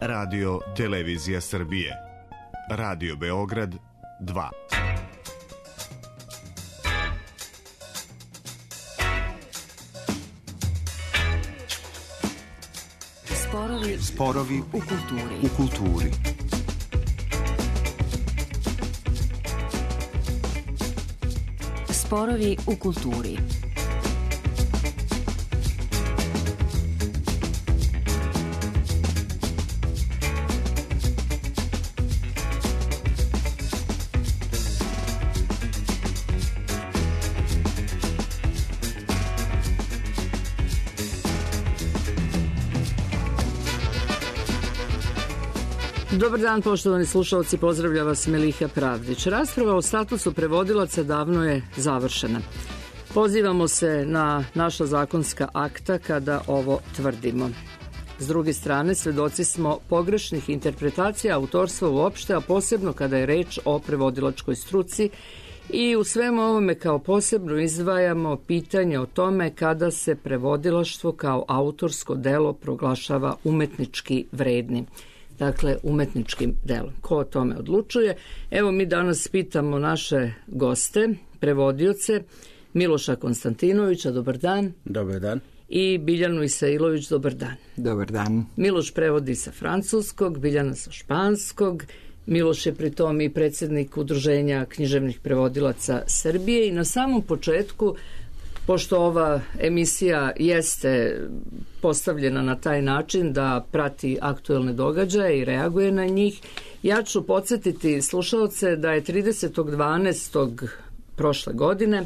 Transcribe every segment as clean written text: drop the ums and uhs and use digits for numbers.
Radio Televizija Srbije. Radio Beograd 2. Sporovi u kulturi. Sporovi u kulturi. Dobar dan, poštovani slušalci, pozdravlja vas Meliha Pravdić. Rasprava o statusu prevodilaca davno je završena. Pozivamo se na naša zakonska akta kada ovo tvrdimo. S druge strane, svedoci smo pogrešnih interpretacija autorstva uopšte, a posebno kada je reč o prevodilačkoj struci, i u svemu ovome kao posebno izdvajamo pitanje o tome kada se prevodilaštvo kao autorsko delo proglašava umetnički vrednim. Dakle, umetničkim delom. Ko o tome odlučuje? Evo, mi danas pitamo naše goste, prevodioce, Miloša Konstantinovića, dobar dan. Dobar dan. I Biljanu Isailović, dobar dan. Dobar dan. Miloš prevodi sa francuskog, Biljana sa španskog. Miloš je pri tom i predsjednik Udruženja književnih prevodilaca Srbije i na samom početku, pošto ova emisija jeste postavljena na taj način da prati aktuelne događaje i reaguje na njih, ja ću podsjetiti slušalce da je 30.12. prošle godine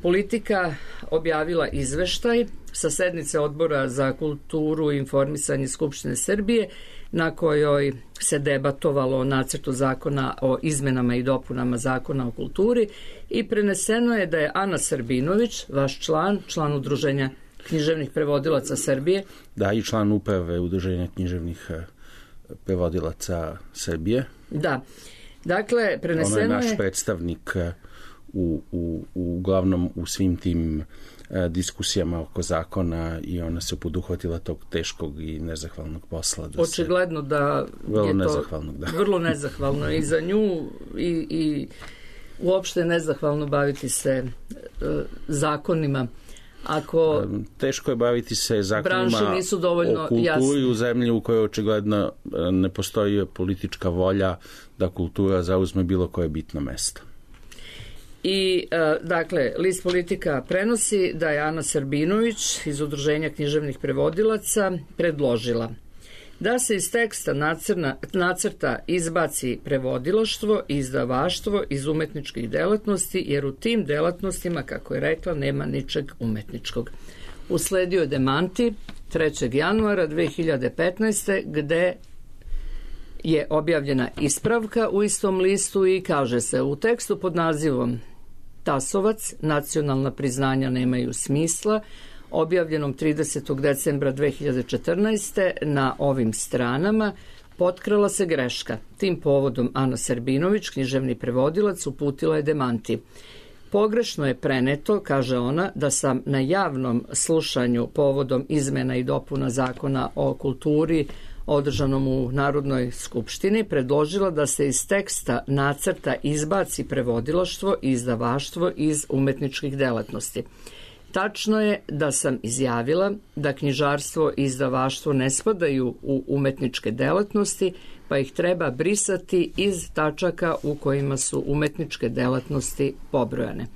Politika objavila izveštaj sa sednice Odbora za kulturu i informisanje Skupštine Srbije, na kojoj se debatovalo o nacrtu zakona o izmenama i dopunama zakona o kulturi i preneseno je da je Ana Srbinović, vaš član Udruženja književnih prevodilaca Srbije. Da, i član uprave Udruženja književnih prevodilaca Srbije. Da, dakle, preneseno je... Ona je naš predstavnik uglavnom u svim tim diskusijama oko zakona i ona se poduhvatila tog teškog i nezahvalnog posla. Očigledno da je to vrlo nezahvalno i za nju i uopšte nezahvalno baviti se zakonima. Ako teško je baviti se zakonima nisu dovoljno o kulturi jasni. U zemlji u kojoj očigledno ne postoji politička volja da kultura zauzme bilo koje bitno mesto. I, dakle, list Politika prenosi da je Ana Srbinović iz Udruženja književnih prevodilaca predložila da se iz teksta nacrta izbaci prevodilaštvo i izdavaštvo iz umetničkih delatnosti, jer u tim delatnostima, kako je rekla, nema ničeg umetničkog. Usledio je demanti 3. januara 2015. gde je objavljena ispravka u istom listu i kaže se u tekstu pod nazivom Tasovac, nacionalna priznanja nemaju smisla, objavljenom 30. decembra 2014. na ovim stranama, potkrala se greška. Tim povodom Ana Srbinović, književni prevodilac, uputila je demanti. Pogrešno je preneto, kaže ona, da sam na javnom slušanju povodom izmena i dopuna zakona o kulturi održanom u Narodnoj skupštini predložila da se iz teksta nacrta izbaci prevodilaštvo i izdavaštvo iz umetničkih delatnosti. Tačno je da sam izjavila da knjižarstvo i izdavaštvo ne spadaju u umetničke delatnosti, pa ih treba brisati iz tačaka u kojima su umetničke delatnosti pobrojane.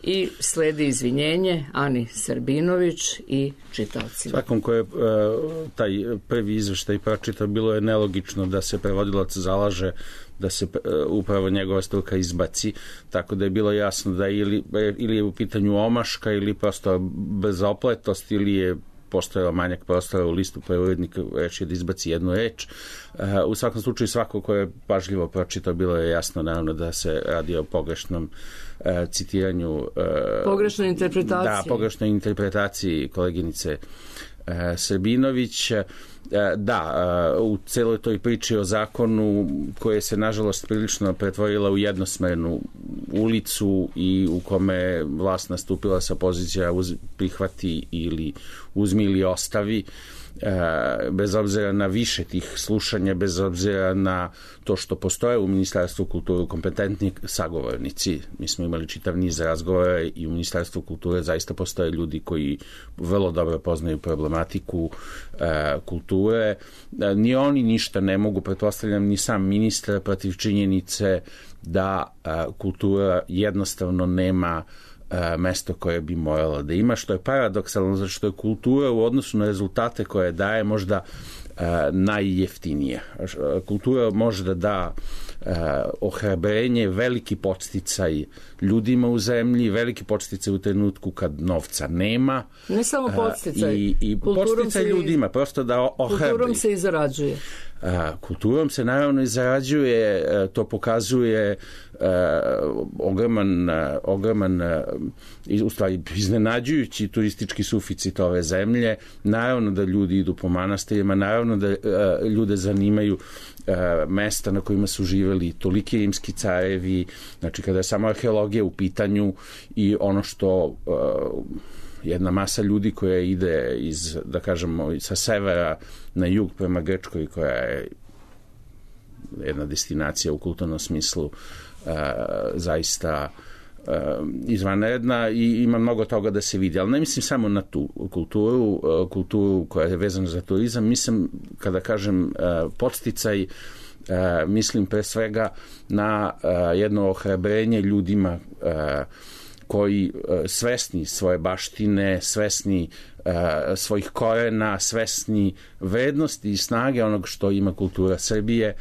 I sledi izvinjenje Ani Srbinović i čitaocima. Svakom ko je taj prvi izveštaj pročitao, bilo je nelogično da se prevodilac zalaže da se upravo njegova struka izbaci, tako da je bilo jasno da ili je u pitanju omaška ili prosto bezopletost ili je postojao manjak prostora u listu prevodnika reći da izbaci jednu reč. U svakom slučaju svako ko je pažljivo pročitao, bilo je jasno naravno da se radi o pogrešnom citiranju, pogrešnoj interpretaciji. Da, pogrešnoj interpretaciji koleginice Srbinović. Da, u celoj toj priči o zakonu koje se nažalost prilično pretvorila u jednosmernu ulicu i u kome je vlast nastupila sa pozicija prihvati ili uzmi ili ostavi, bez obzira na više tih slušanja, bez obzira na to što postoje u Ministarstvu kulture kompetentni sagovornici. Mi smo imali čitav niz razgovora i u Ministarstvu kulture zaista postoje ljudi koji vrlo dobro poznaju problematiku kulture. Ni oni ništa ne mogu, pretpostavljam, ni sam ministar protiv činjenice da kultura jednostavno nema mesto koje bi morala da ima, što je paradoksalno, zato što je kultura u odnosu na rezultate koje daje možda najjeftinije. Kultura može da da ohrabrenje, veliki podsticaj ljudima u zemlji, veliki podsticaj u trenutku kad novca nema. Ne samo podsticaj. I podsticaj ljudima, prosto da ohrabri. Kulturom se i zarađuje. Kulturom se naravno i zarađuje, to pokazuje ogroman u stvari iznenađujući turistički suficit ove zemlje. Naravno da ljudi idu po manastirima, naravno da ljude zanimaju mesta na kojima su živeli toliki rimski carevi, znači kada je samo arheologija u pitanju i ono što jedna masa ljudi koja ide iz, da kažemo, sa severa na jug prema Grčkoj, koja je jedna destinacija u kulturnom smislu zaista izvanredna i ima mnogo toga da se vidi, ali ne mislim samo na tu kulturu koja je vezana za turizam, mislim, kada kažem podsticaj, mislim pre svega na jedno ohrabrenje ljudima koji svesni svoje baštine, svesni svojih korena, svesni vrednosti i snage onog što ima kultura Srbije,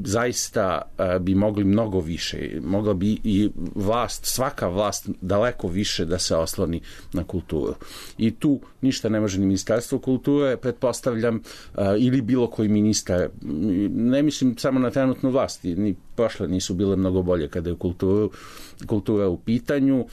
zaista bi mogli mnogo više, mogla bi i svaka vlast daleko više da se osloni na kulturu. I tu ništa ne može ni Ministarstvo kulture, pretpostavljam, ili bilo koji ministar, ne mislim samo na trenutnu vlast, ni prošle nisu bile mnogo bolje kada je kultura u pitanju.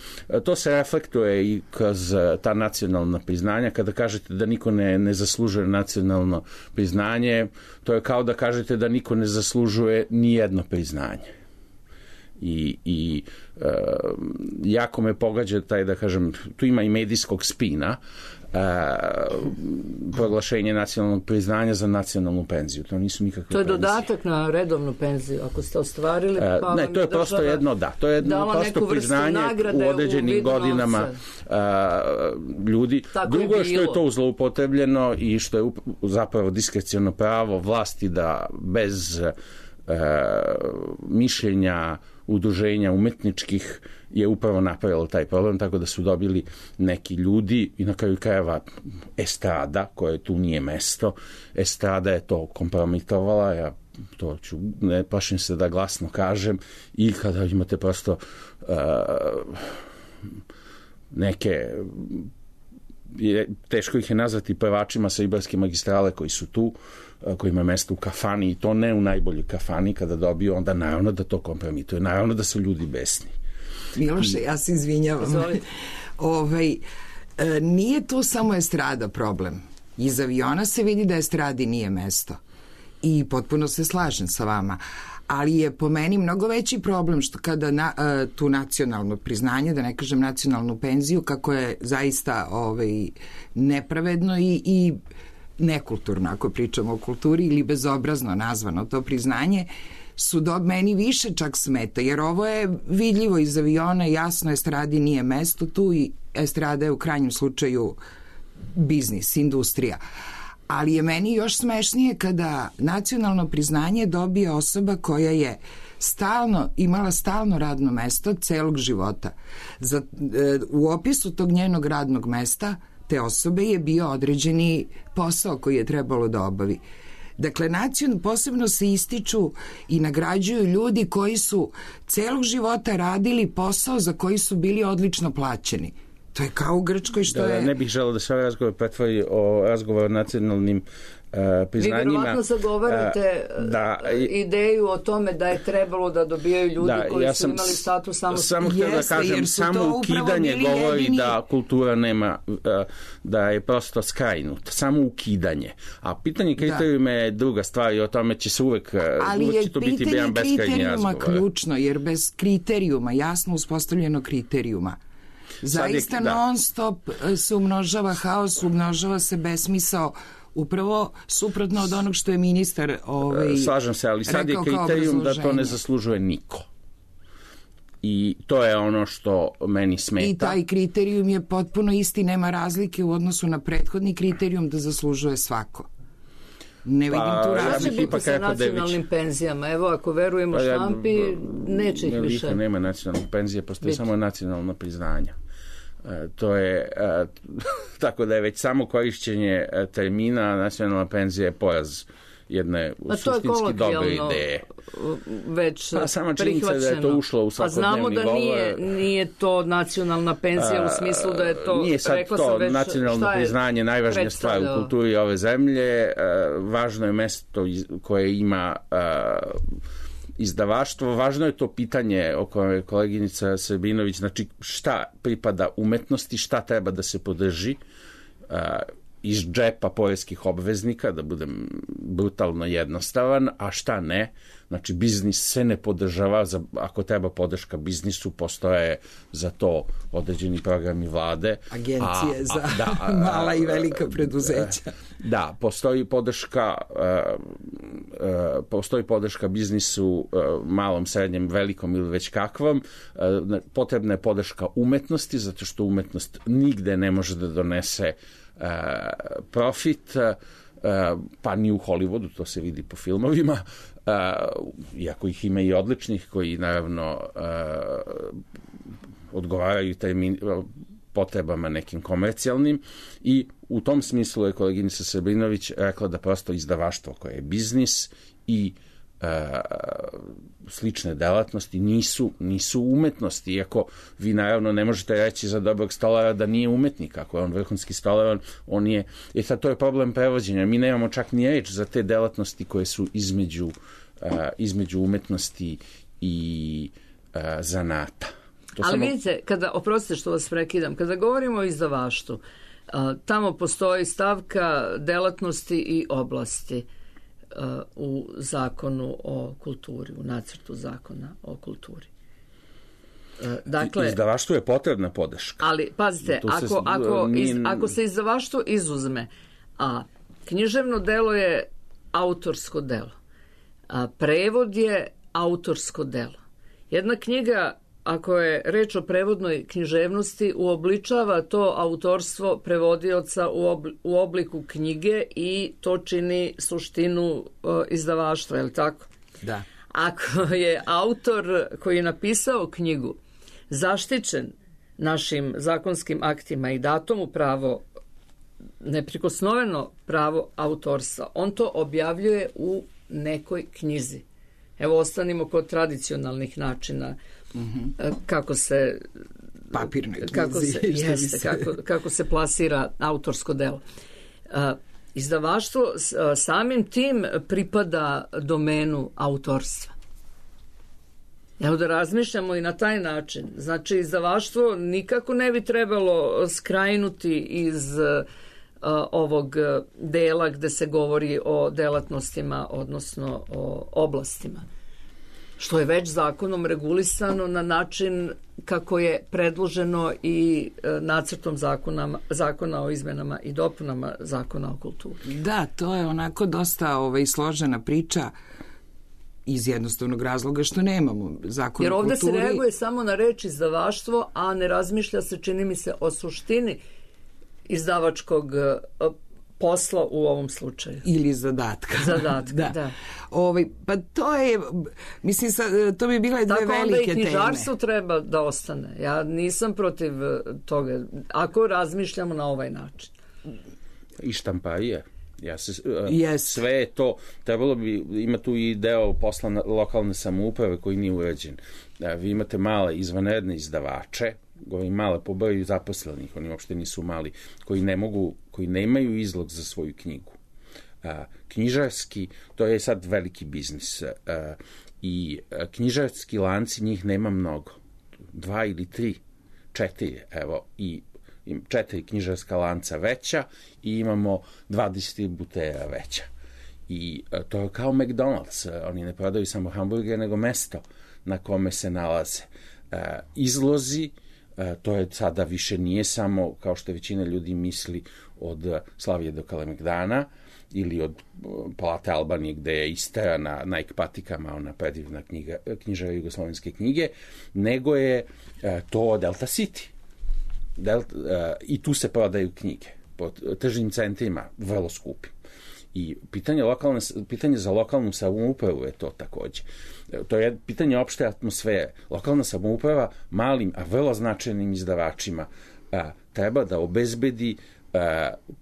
To se reflektuje i kroz ta nacionalna priznanja. Kada kažete da niko ne zaslužuje nacionalno priznanje, to je kao da kažete da niko ne zaslužuje ni jedno priznanje. I jako me pogađa taj, da kažem, tu ima i medijskog spina, proglašenje nacionalnog priznanja za nacionalnu penziju. To nisu nikakve penzije. To je penzije. dodatak na redovnu penziju, ako ste ostvarili. Ne, to je prosto jedno, da. To je jedno prosto priznanje u određenim godinama ljudi. Tako drugo je što je to zloupotrebljeno i što je zapravo diskreciono pravo vlasti da bez mišljenja udruženja umetničkih je upravo napravilo taj problem, tako da su dobili neki ljudi i na kraju krajeva estrada, koje tu nije mesto. Estrada je to kompromitovala, ja to ću, ne plašim se da glasno kažem, i kada imate prosto neke, teško ih je nazvati pevačima sa Ibarske magistrale koji su tu, koji ima mesto u kafani, i to ne u najboljoj kafani, kada dobiju, onda naravno da to kompromituje, naravno da su ljudi besni. Miloše, ja se izvinjavam. Nije to samo estrada problem. Iz aviona se vidi da estradi nije mesto. I potpuno se slažem sa vama. Ali je po meni mnogo veći problem što kada tu nacionalno priznanje, da ne kažem nacionalnu penziju, kako je zaista nepravedno i nekulturno, ako pričamo o kulturi, ili bezobrazno nazvano to priznanje, meni više čak smeta, jer ovo je vidljivo iz aviona, jasno estradi nije mesto tu i estrada je u krajnjem slučaju biznis, industrija. Ali je meni još smešnije kada nacionalno priznanje dobije osoba koja je imala stalno radno mesto celog života. U opisu tog njenog radnog mesta te osobe je bio određeni posao koji je trebalo da obavi. Dakle, posebno se ističu i nagrađuju ljudi koji su celog života radili posao za koji su bili odlično plaćeni. To je kao u Grčkoj što je... Ne bih želeo da se ovaj razgovor pretvori o razgovor o nacionalnim priznanjima. Vi verovatno zagovarate ideju o tome da je trebalo da dobijaju ljudi koji su imali status samo htio da kažem, samo ukidanje govori da kultura nema, da je prosto skrajnut. Samo ukidanje. A pitanje kriterijuma je druga stvar i o tome će se uvek to biti jedan beskrajni razgovor. Ali je pitanje kriterijuma ključno, jer bez kriterijuma, jasno uspostavljeno kriterijuma, Zaista non stop se umnožava haos, umnožava se besmisao, upravo suprotno od onog što je ministar slažem se, ali sad je kriterijum da to ne zaslužuje niko. I to je ono što meni smeta. I taj kriterijum je potpuno isti, nema razlike u odnosu na prethodni kriterijum da zaslužuje svako. Ne vidim tu razliku. Ja sa nacionalnim penzijama. Evo, ako verujemo štampi, neće ih više. Nema nacionalnih penzija, postoji samo nacionalno priznanja. To je, tako da je već samo korišćenje termina nacionalna penzija je poraz jedne suštinski dobre ideje. Već sama činjenica da je to ušlo u svakodnevni govor. A znamo da nije to nacionalna penzija u smislu da je to... Nije sad to nacionalno priznanje najvažnija stvar u kulturi ove zemlje. Važno je mesto koje ima izdavaštvo. Važno je to pitanje o kojem je koleginica Srbinović, znači šta pripada umetnosti, šta treba da se podrži iz džepa poreskih obveznika, da budem brutalno jednostavan, a šta ne. Znači, biznis se ne podržava, ako treba podrška biznisu, postoje za to određeni programi vlade. Agencije za mala i velika preduzeća. Da, postoji podrška biznisu, malom, srednjem, velikom ili već kakvom. Potrebna je podrška umetnosti, zato što umetnost nigde ne može da donese profit, pa ni u Hollywoodu, to se vidi po filmovima, iako ih ima i odličnih koji naravno odgovaraju potrebama nekim komercijalnim, i u tom smislu je koleginica Srbinović rekla da prosto izdavaštvo koje je biznis i slične delatnosti nisu umetnosti, iako vi naravno ne možete reći za dobrog stolara da nije umetnik. Ako je on vrhunski stolar, on je... sad to je problem prevođenja. Mi nemamo čak ni reč za te delatnosti koje su između umetnosti i zanata. Ali vidite, oprostite što vas prekidam, kada govorimo o izdavaštvu, tamo postoji stavka delatnosti i oblasti u zakonu o kulturi, u nacrtu zakona o kulturi. Dakle, izdavaštvu je potrebna podrška. Ali, pazite, ako se izdavaštvo izuzme, a književno delo je autorsko delo, a prevod je autorsko delo. Jedna knjiga, ako je reč o prevodnoj književnosti, uobličava to autorstvo prevodioca u obliku knjige i to čini suštinu izdavaštva, je li tako? Da. Ako je autor koji je napisao knjigu zaštićen našim zakonskim aktima i dato mu pravo, neprikosnoveno pravo autorstva, on to objavljuje u nekoj knjizi. Evo, ostanimo kod tradicionalnih načina kako se papirnoj knjizi, kako se plasira autorsko delo. Izdavaštvo samim tim pripada domenu autorstva. Evo, da razmišljamo i na taj način. Znači, izdavaštvo nikako ne bi trebalo skrajnuti iz ovog dela gde se govori o delatnostima, odnosno o oblastima, što je već zakonom regulisano na način kako je predloženo i nacrtom zakona o izmenama i dopunama zakona o kulturi. Da, to je onako dosta složena priča iz jednostavnog razloga što nemamo zakon o kulturi. Jer ovde se reaguje samo na reč izdavaštvo, a ne razmišlja se, čini mi se, o suštini izdavačkog posla u ovom slučaju. Ili zadatka. Da. Pa to je, mislim, to bi bile dve velike teme. Tako onda i knjižarstvo treba da ostane. Ja nisam protiv toga, ako razmišljamo na ovaj način. I štamparije. Sve je to, trebalo bi, ima tu i deo posla lokalne samouprave koji nije urađen. Vi imate male izvanredne izdavače, govorim male po broju zaposlenih, oni uopšte nisu mali, koji nemaju izlog za svoju knjigu. Knjižarski, to je sad veliki biznis, i knjižarski lanci, njih nema mnogo. 2 ili 3, 4, evo, i 4 knjižarska lanca veća i imamo 2 distributera veća. I to je kao McDonald's, oni ne prodaju samo hamburger, nego mesto na kome se nalaze izlozi, To je sada više nije samo, kao što većina ljudi misli, od Slavije do Kalemegdana ili od Palate Albanije gde je isterana na ekpatikama ona predivna knjižara jugoslovenske knjige, nego je to Delta City. I tu se prodaju knjige po tržnim centrima, vrlo skupi. I pitanje za lokalnu samoupravu je to takođe. To je pitanje opšte atmosfere. Lokalna samouprava malim, a vrlo značajnim izdavačima treba da obezbedi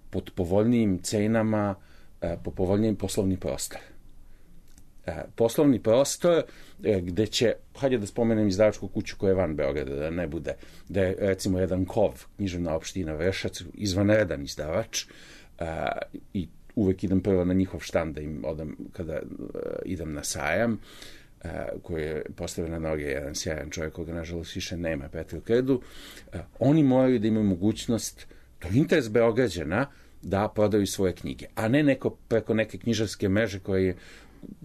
pod povoljnijim cenama, po povoljnijim poslovni prostor. Poslovni prostor gde će, hajde da spomenem izdavačku kuću koja je van Beograda, da ne bude, da je recimo jedan KOV, književna opština Vršac, izvanredan izdavač, i uvek idem prvo na njihov štand da im odam kada idem na sajam, koji je postavio na noge jedan sjajan čovjek koga nažalost više nema, Petru Krdu. Oni moraju da imaju mogućnost, to je interes Beograđana, da prodaju svoje knjige, a ne neko preko neke knjižarske mreže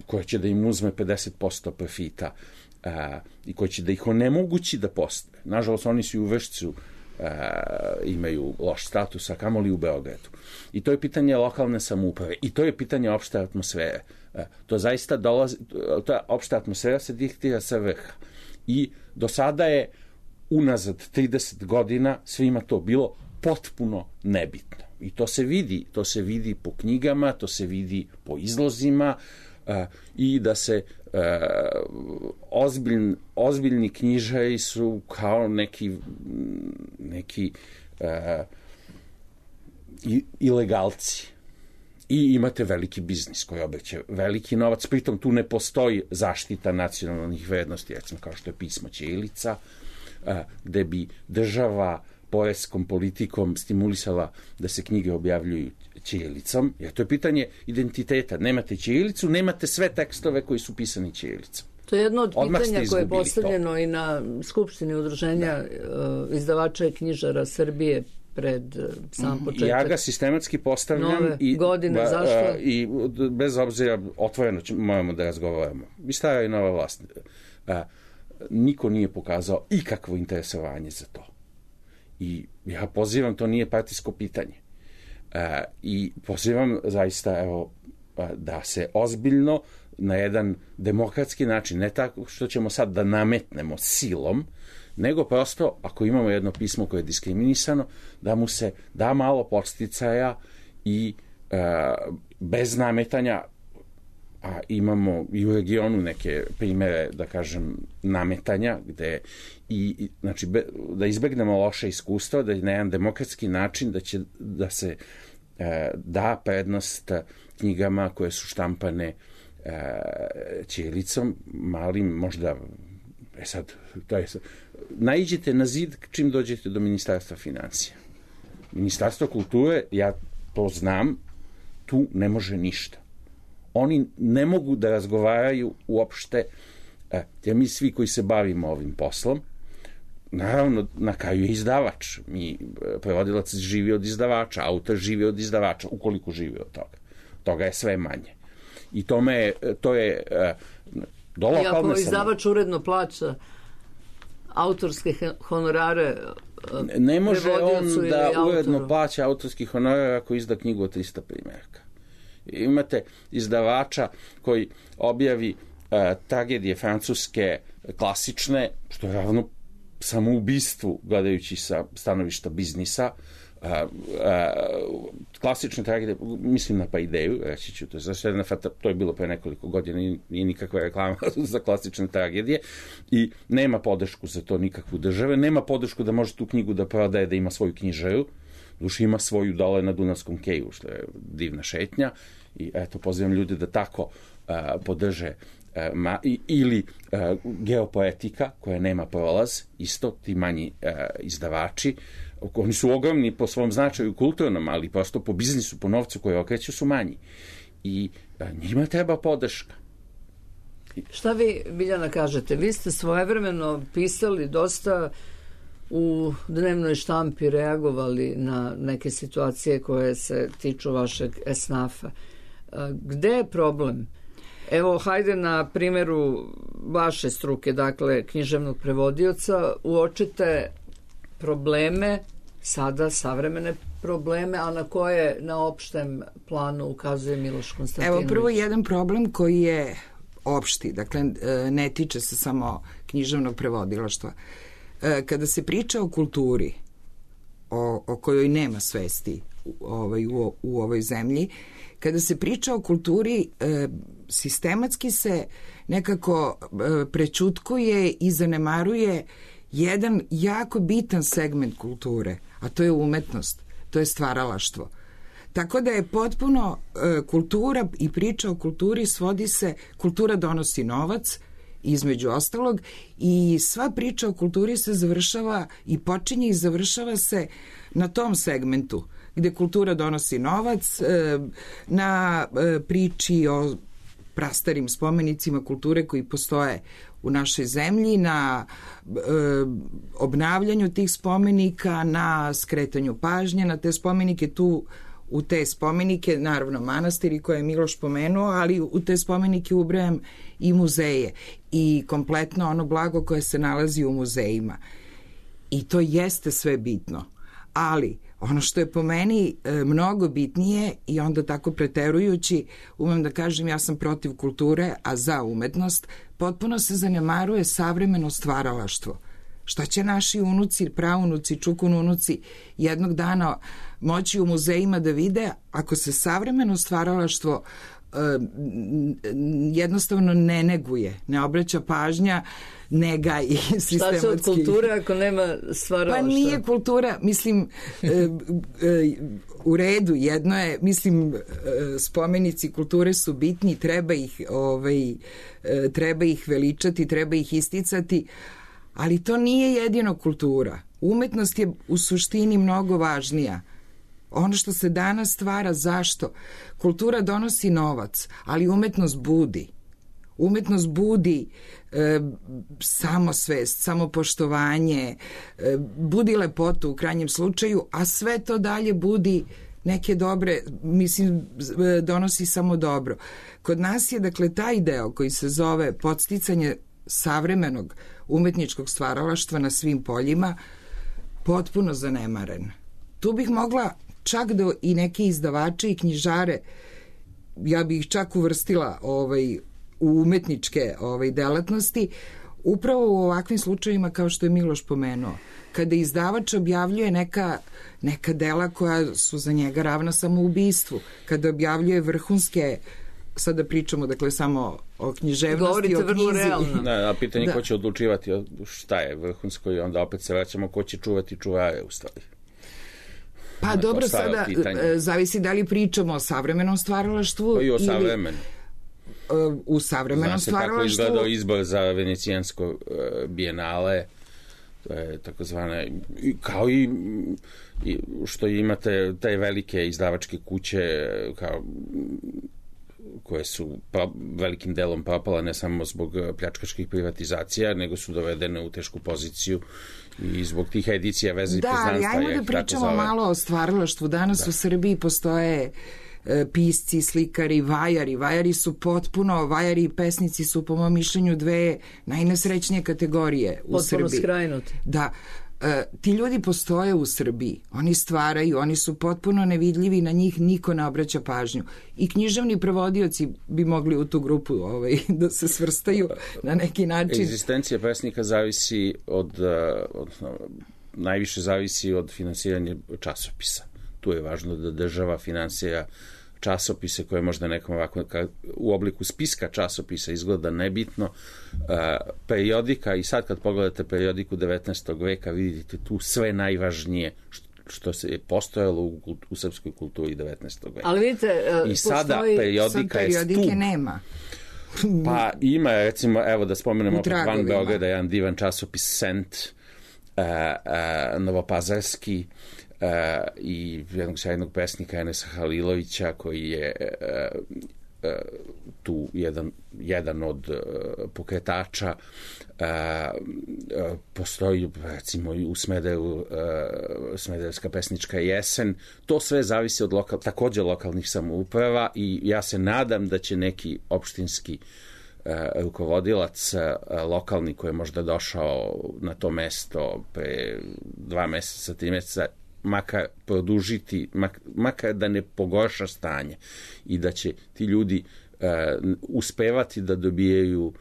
koja će da im uzme 50% profita i koja će da ih onemogući da postoje. Nažalost, oni su i u Vršcu imaju loš status, a kamoli u Beogradu. I to je pitanje lokalne samouprave i to je pitanje opšte atmosfere. To zaista dolazi, ta opšta atmosfera se diktira sa vrha. I do sada je unazad 30 godina svima to bilo potpuno nebitno. I to se vidi po knjigama, to se vidi po izlozima, i da se ozbiljni knjižari su kao neki ilegalci. I imate veliki biznis koji obeće veliki novac, pritom tu ne postoji zaštita nacionalnih vrednosti, recimo kao što je pismo ćirilica, gde bi država poreskom politikom stimulisala da se knjige objavljuju ćirilicom, jer to je pitanje identiteta. Nemate ćirilicu, nemate sve tekstove koji su pisani ćirilicom. To je jedno od pitanja koje je postavljeno i na Skupštini udruženja izdavača i knjižara Srbije pred sam početak. Ja ga sistematski postavljam nove godine, zašto? I bez obzira, otvoreno moramo da razgovaramo. I stara i nova vlast. Niko nije pokazao ikakvo interesovanje za to. I ja pozivam, to nije partijsko pitanje. I pozivam zaista, evo, da se ozbiljno na jedan demokratski način, ne tako što ćemo sad da nametnemo silom, nego prosto, ako imamo jedno pismo koje je diskriminisano, da mu se da malo podsticaja i bez nametanja, a imamo i u regionu neke primere, da kažem, nametanja, gde znači, da izbegnemo loše iskustva, da je na jedan demokratski način da se da prednost knjigama koje su štampane ćirilicom, malim, možda, sad, to je, naiđete na zid čim dođete do Ministarstva financija. Ministarstvo kulture, ja to znam, tu ne može ništa. Oni ne mogu da razgovaraju uopšte, mi svi koji se bavimo ovim poslom, naravno, na kraju je izdavač. Prevodilac živi od izdavača, autor živi od izdavača, ukoliko živi od toga. Toga je sve manje. I to je do lokalne samouprave. Iako izdavač uredno plaća autorske honorare, ne može on da uredno plaća autorski honorar ako izda knjigu od 300 primjeraka. Imate izdavača koji objavi tragedije francuske klasične, što je ravno samoubistvu gledajući sa stanovišta biznisa, klasične tragedije, mislim na Paideju, reći ću, to je bilo pre nekoliko godina, nije nikakva reklama za klasične tragedije i nema podršku za to nikakvu države, nema podršku da može tu knjigu da prodaje, da ima svoju knjižaru, duši ima svoju dole na Dunavskom keju, što je divna šetnja i eto, pozivam ljude da tako podrže ili Geopoetika koja nema prolaz, isto ti manji izdavači, oni su ogromni po svom značaju kulturnom, ali prosto po biznisu, po novcu koji okreću su manji i njima treba podrška. Šta vi, Biljana, kažete? Vi ste svojevremeno pisali dosta u dnevnoj štampi, reagovali na neke situacije koje se tiču vašeg esnafa. Gde je problem? Evo, hajde na primjeru vaše struke, dakle, književnog prevodioca, uočite probleme, sada savremene probleme, a na koje na opštem planu ukazuje Miloš Konstantinović? Evo, prvo jedan problem koji je opšti, dakle ne tiče se samo književnog prevodilaštva. Kada se priča o kulturi, o kojoj nema svesti u ovoj zemlji, kada se priča o kulturi, sistematski se nekako prećutkuje i zanemaruje jedan jako bitan segment kulture, a to je umetnost, to je stvaralaštvo. Tako da je potpuno kultura i priča o kulturi svodi se, kultura donosi novac, između ostalog, i sva priča o kulturi se završava i počinje i završava se na tom segmentu, gde kultura donosi novac, na priči o prastarim spomenicima kulture koji postoje u našoj zemlji, na obnavljanju tih spomenika, na skretanju pažnje na te spomenike. Tu u te spomenike, naravno manastiri koje je Miloš pomenuo, ali u te spomenike ubrajam i muzeje i kompletno ono blago koje se nalazi u muzejima. I to jeste sve bitno. Ali ono što je po meni mnogo bitnije i onda tako preterujući, umem da kažem ja sam protiv kulture, a za umetnost, potpuno se zanemaruje savremeno stvaralaštvo. Šta će naši unuci, praunuci, čukununuci jednog dana moći u muzejima da vide ako se savremeno stvaralaštvo jednostavno ne neguje, ne obraća pažnja, nega i sistematski. Šta će od kulture ako nema stvaralaštva? Pa nije kultura, mislim, u redu, jedno je, mislim, spomenici kulture su bitni, treba ih veličati, treba ih isticati, ali to nije jedino kultura. Umetnost je u suštini mnogo važnija. Ono što se danas stvara, zašto? Kultura donosi novac, ali umetnost budi. Umetnost budi samosvest, samopoštovanje, budi lepotu u krajnjem slučaju, a sve to dalje budi neke dobre, mislim, donosi samo dobro. Kod nas je, dakle, taj deo koji se zove podsticanje savremenog umetničkog stvaralaštva na svim poljima potpuno zanemaren. Tu bih mogla čak da i neke izdavače i knjižare, ja bih ih čak uvrstila u umetničke delatnosti, upravo u ovakvim slučajima kao što je Miloš pomenuo. Kada izdavač objavljuje neka dela koja su za njega ravna samoubistvu, kada objavljuje vrhunske, sada pričamo dakle samo o književnosti, govorite o knjizi. Vrlo realno. A pitanje ko će odlučivati šta je vrhunsko i onda opet se vraćamo ko će čuvati čuvare u stvari. Pa dobro, sada zavisi da li pričamo o savremenom stvaralaštvu i o savremenom. U savremenom stvaralaštvu. Zna se kako izgledao izbor za venecijansko bijenale, to je takozvane, kao i što imate te velike izdavačke kuće kao koje su velikim delom propala ne samo zbog pljačkaških privatizacija, nego su dovedene u tešku poziciju i zbog tih edicija veze i poznanstva. Da, ali ajmo da pričamo malo o stvaralaštvu. Danas u Srbiji postoje pisci, slikari, vajari. Vajari i pesnici su po mom mišljenju dve najnesrećnije kategorije u Srbiji. Potpuno skrajnuti. Da. Ti ljudi postoje u Srbiji, oni stvaraju, oni su potpuno nevidljivi, na njih niko ne obraća pažnju. I književni prevodioci bi mogli u tu grupu da se svrstaju na neki način. Egzistencija pesnika zavisi najviše zavisi od finansiranja časopisa. Tu je važno da država finansira časopise koje možda nekom ovako u obliku spiska časopisa izgleda nebitno. Periodika, i sad kad pogledate periodiku 19. veka vidite tu sve najvažnije što se je postojalo u srpskoj kulturi 19. veka. Ali vidite, i sada periodika je stup. Nema. Pa ima, recimo, evo da spomenemo opet van Beograda, jedan divan časopis Sent, novopazarski, i jednog sjajnog pesnika Enesa Halilovića koji je tu jedan od pokretača. Postoji recimo u Smederevu Smederevska pesnička jesen. To sve zavisi od takođe lokalnih samouprava i ja se nadam da će neki opštinski rukovodilac lokalni koji je možda došao na to mesto pre 2 meseca, 3 meseca, makar produžiti, makar da ne pogorša stanje i da će ti ljudi uspevati da dobijaju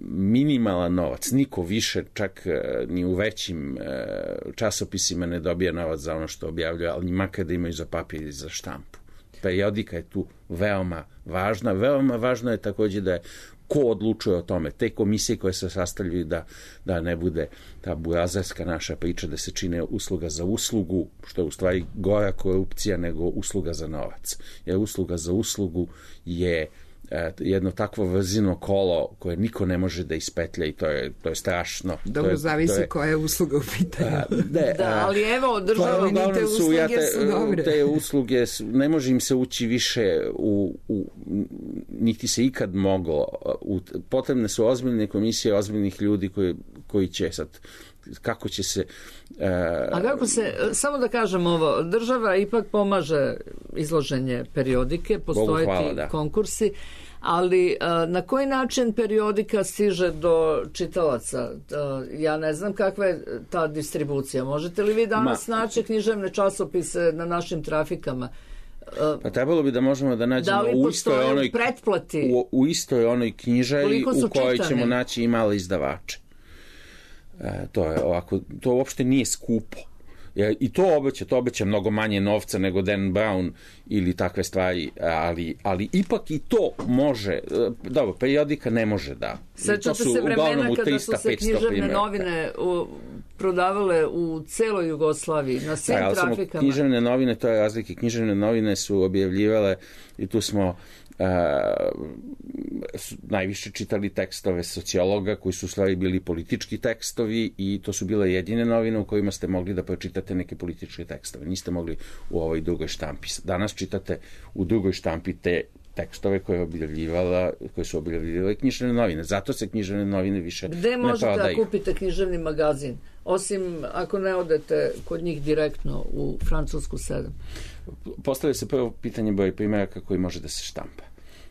minimalan novac. Niko više, čak ni u većim časopisima ne dobija novac za ono što objavljuje, ali makar da imaju za papir i za štampu. Periodika je tu veoma važna. Veoma važno je takođe da je ko odlučuje o tome. Te komisije koje se sastavljaju da ne bude ta burazarska naša priča da se čine usluga za uslugu, što je u stvari gora korupcija nego usluga za novac. Jer usluga za uslugu je jedno takvo vrzino kolo koje niko ne može da ispetlja i to je strašno. Dobro, zavisi koja je usluga u pitanju. Da, ali evo, država, te usluge su dobre. Te usluge, ne može im se ući više niti se ikad moglo. Potrebne su ozbiljne komisije, ozbiljnih ljudi koji će sad kako će se... A kako se, samo da kažem ovo, država ipak pomaže izloženje periodike, postoje ti konkursi, ali na koji način periodika stiže do čitalaca? Ja ne znam kakva je ta distribucija. Možete li vi danas naći književne časopise na našim trafikama? Pa trebalo bi da možemo da nađemo u istoj onoj knjižari u kojoj ćemo naći i male izdavače. To je ovako, to uopšte nije skupo. I to obeća mnogo manje novca nego Dan Brown ili takve stvari, ali ipak i to može, dobro, periodika ne može da. Sećate se vremena kada su se književne novine prodavale u celoj Jugoslaviji, na svim trafikama. Književne novine, to je razlike, književne novine su objavljivale i tu smo najviše čitali tekstove sociologa koji su u stvari bili politički tekstovi i to su bile jedine novine u kojima ste mogli da pročitate neke političke tekstove. Niste mogli u ovoj drugoj štampi. Danas čitate u drugoj štampi te tekstove koje su objavljivale književne novine. Zato se književne novine više ne prodaju. Gde možete da kupite književni magazin? Osim ako ne odete kod njih direktno u Francusku 7. Postavlja se prvo pitanje broj primjeraka koji može da se štampa.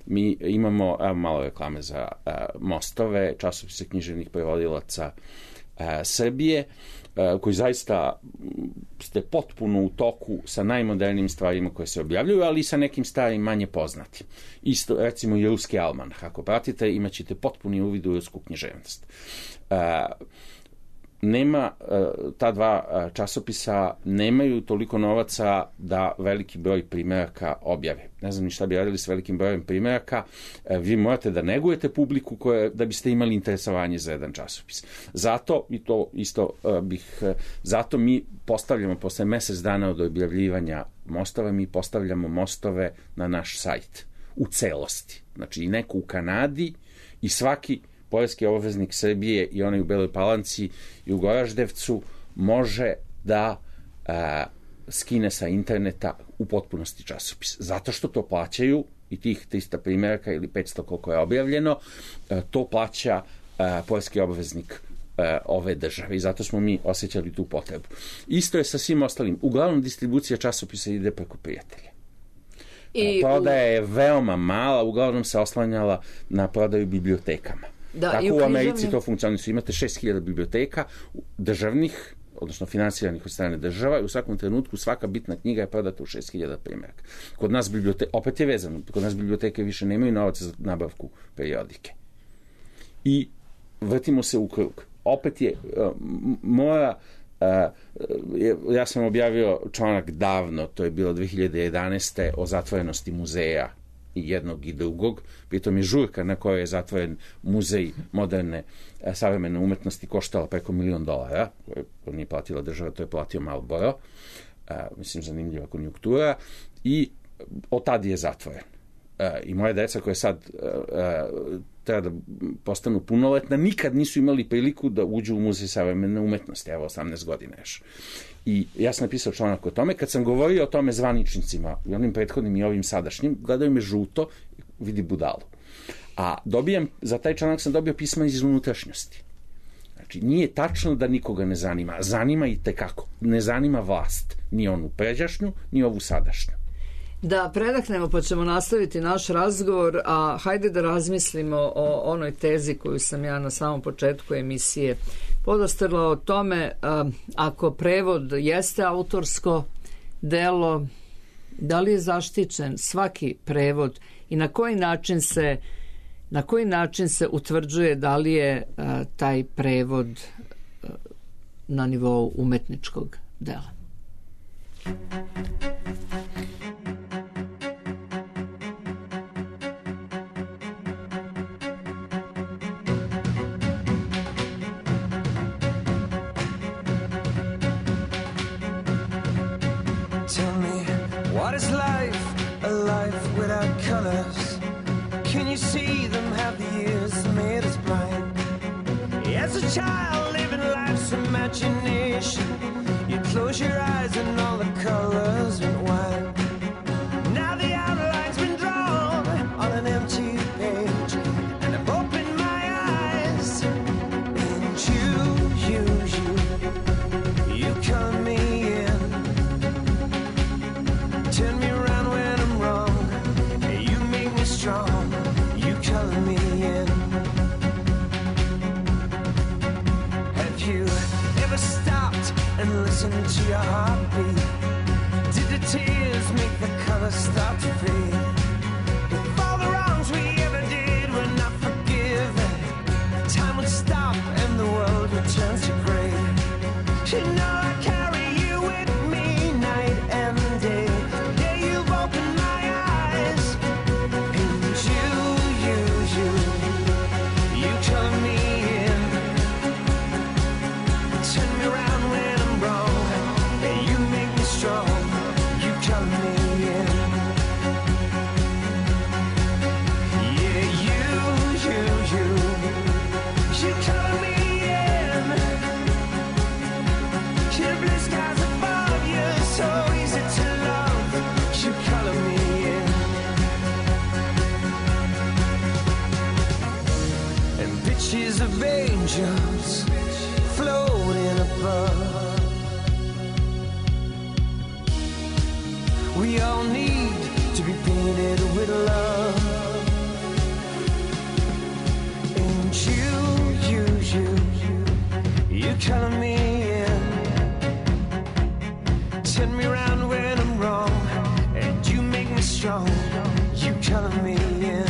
Mi imamo malo reklame za Mostove, časopise književnih prevodilaca Srbije, koji zaista ste potpuno u toku sa najmodernijim stvarima koje se objavljuju, ali i sa nekim starim manje poznatim. Isto, recimo, i ruski almanah. Ako pratite, imat ćete potpuni uvid u rusku književnost. Ta dva časopisa nemaju toliko novaca da veliki broj primjeraka objave. Ne znam ni šta bi radili s velikim brojem primjeraka. Vi morate da negujete publiku da biste imali interesovanje za jedan časopis. Zato, i to isto zato mi postavljamo posle mesec dana od objavljivanja Mostova, mi postavljamo Mostove na naš sajt u celosti. Znači i neko u Kanadi i svaki poreski obveznik Srbije i onaj u Beloj Palanci i u Goraždevcu može da skine sa interneta u potpunosti časopis. Zato što to plaćaju i tih 300 primjeraka ili 500 koliko je objavljeno, to plaća poreski obveznik ove države i zato smo mi osjećali tu potrebu. Isto je sa svim ostalim. Uglavnom distribucija časopisa ide preko prijatelja. Prodaja je veoma mala, uglavnom se oslanjala na prodaju bibliotekama. Tako u Americi to funkcioniše. Imate 6000 biblioteka državnih, odnosno finansiranih od strane država i u svakom trenutku svaka bitna knjiga je prodata u 6000 primjeraka. Kod nas opet je vezano, kod nas biblioteke više nemaju novaca za nabavku periodike. I vrtimo se u krug. Opet je ja sam objavio članak davno, to je bilo 2011. o zatvorenosti muzeja i jednog i drugog. Pritom je žurka na kojoj je zatvoren muzej moderne savremene umetnosti koštala preko $1 milion, koje nije platila država, to je platio Marlboro. Mislim, zanimljiva konjunktura. I od tad je zatvoren. I moje deca koje sad treba da postanu punoletna, nikad nisu imali priliku da uđu u muzej savremene umetnosti, evo 18 godina još. I ja sam napisao članak o tome, kad sam govorio o tome zvaničnicima, i onim prethodnim i ovim sadašnjim, gledaju me žuto, vidi budalu. A za taj članak sam dobio pisma iz unutrašnjosti. Znači, nije tačno da nikoga ne zanima. Zanima i tekako. Ne zanima vlast. Ni onu pređašnju, ni ovu sadašnju. Da predahnemo pa ćemo nastaviti naš razgovor, a hajde da razmislimo o onoj tezi koju sam ja na samom početku emisije podastrla o tome, ako prevod jeste autorsko delo, da li je zaštićen svaki prevod i na koji način se utvrđuje da li je taj prevod na nivou umetničkog dela. What is life? A life without colors. Can you see them? Have the years made us blind? As a child living life's imagination, you close your eyes and all the colors went wild. Now the outline's been drawn on an empty page, and I've opened my eyes. And you come me in. Turn me around when I'm wrong. You make me strong. You color me in. Have you ever stopped and listened to your heartbeat? Did the tears make the colors start to fade? If all the wrongs we ever did were not forgiven, time would stop and the world would turn to gray. You know I carry you with me night and day. Pictures of angels floating above. We all need to be painted with love. And you color me in. Turn me around when I'm wrong, and you make me strong. You color me in.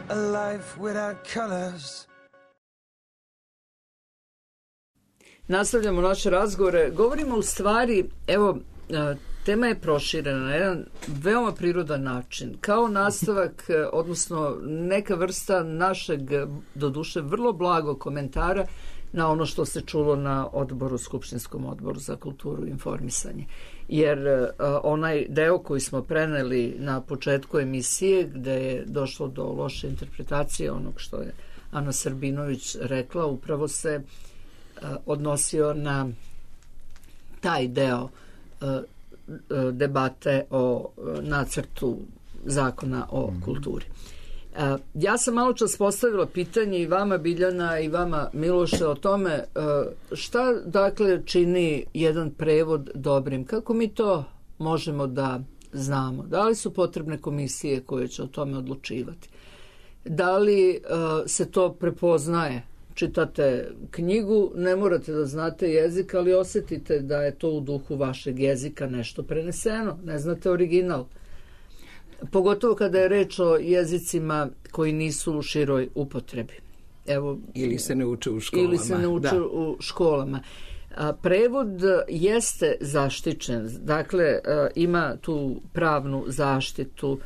A life without colors. Nastavljamo naše razgovore. Govorimo u stvari, evo, tema je proširena na jedan veoma prirodan način. Kao nastavak, odnosno neka vrsta našeg, doduše vrlo blagog komentara na ono što se čulo na odboru, Skupštinskom odboru za kulturu i informisanje. Jer onaj deo koji smo preneli na početku emisije, gde je došlo do loše interpretacije onog što je Ana Srbinović rekla, upravo se odnosio na taj deo debate o nacrtu zakona o kulturi. Ja sam malo čas postavila pitanje i vama, Biljana, i vama, Miloše, o tome šta dakle čini jedan prevod dobrim. Kako mi to možemo da znamo? Da li su potrebne komisije koje će o tome odlučivati? Da li se to prepoznaje? Čitate knjigu, ne morate da znate jezik, ali osjetite da je to u duhu vašeg jezika nešto preneseno. Ne znate original. Pogotovo kada je reč o jezicima koji nisu u široj upotrebi. Evo, ili se ne uče u školama. Ili se ne uče u školama. Prevod jeste zaštićen, dakle ima tu pravnu zaštitu,